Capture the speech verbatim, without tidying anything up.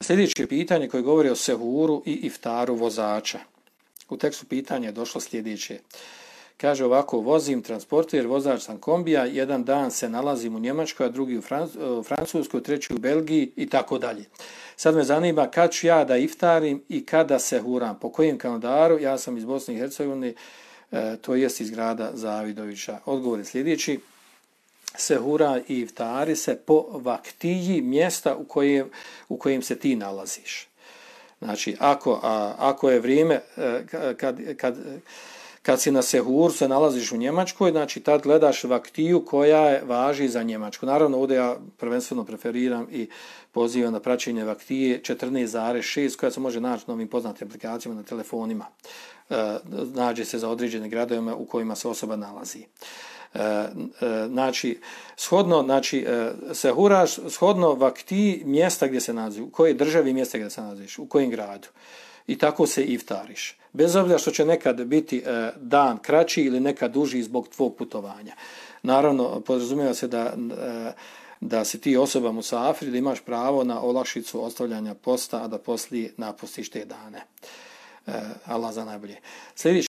Sljedeće pitanje koje govori o sehuru i iftaru vozača. U tekstu pitanja je došlo sljedeće. Kaže ovako, vozim transporter, vozač sam kombija, jedan dan se nalazim u Njemačkoj, a drugi u Francuskoj, treći u Belgiji i tako dalje. Sad me zanima kad ću ja da iftarim i kada sehuram, po kojem kalendaru, ja sam iz Bosne i Hercegovine, e, to jest iz grada Zavidovića. Odgovor je sljedeći. Sehura i iftari se po vaktiji mjesta u kojem, u kojem se ti nalaziš. Znači, ako, a, ako je vrijeme, kad, kad, kad si na sehur se nalaziš u Njemačkoj, znači tad gledaš vaktiju koja je, važi za Njemačku. Naravno, ovdje ja prvenstveno preferiram i pozivam na praćenje vaktije četrnaest zarez šest koja se može naći na ovim poznatim aplikacijama na telefonima. E, nađe se za određene gradove u kojima se osoba nalazi. E, e, znači, shodno, znači, e, sehuraš shodno vaktiji mjesta gdje se nalazi, u kojoj državi mjesta gdje se nalaziš, u kojem gradu. I tako se iftariš. Bez obzira što će nekad biti e, dan kraći ili nekad duži zbog tvog putovanja. Naravno, podrazumijeva se da, e, da si ti osoba musafir, da imaš pravo na olakšicu ostavljanja posta, a da poslije napustiš te dane. E, Allah za najbolje. Sljedeći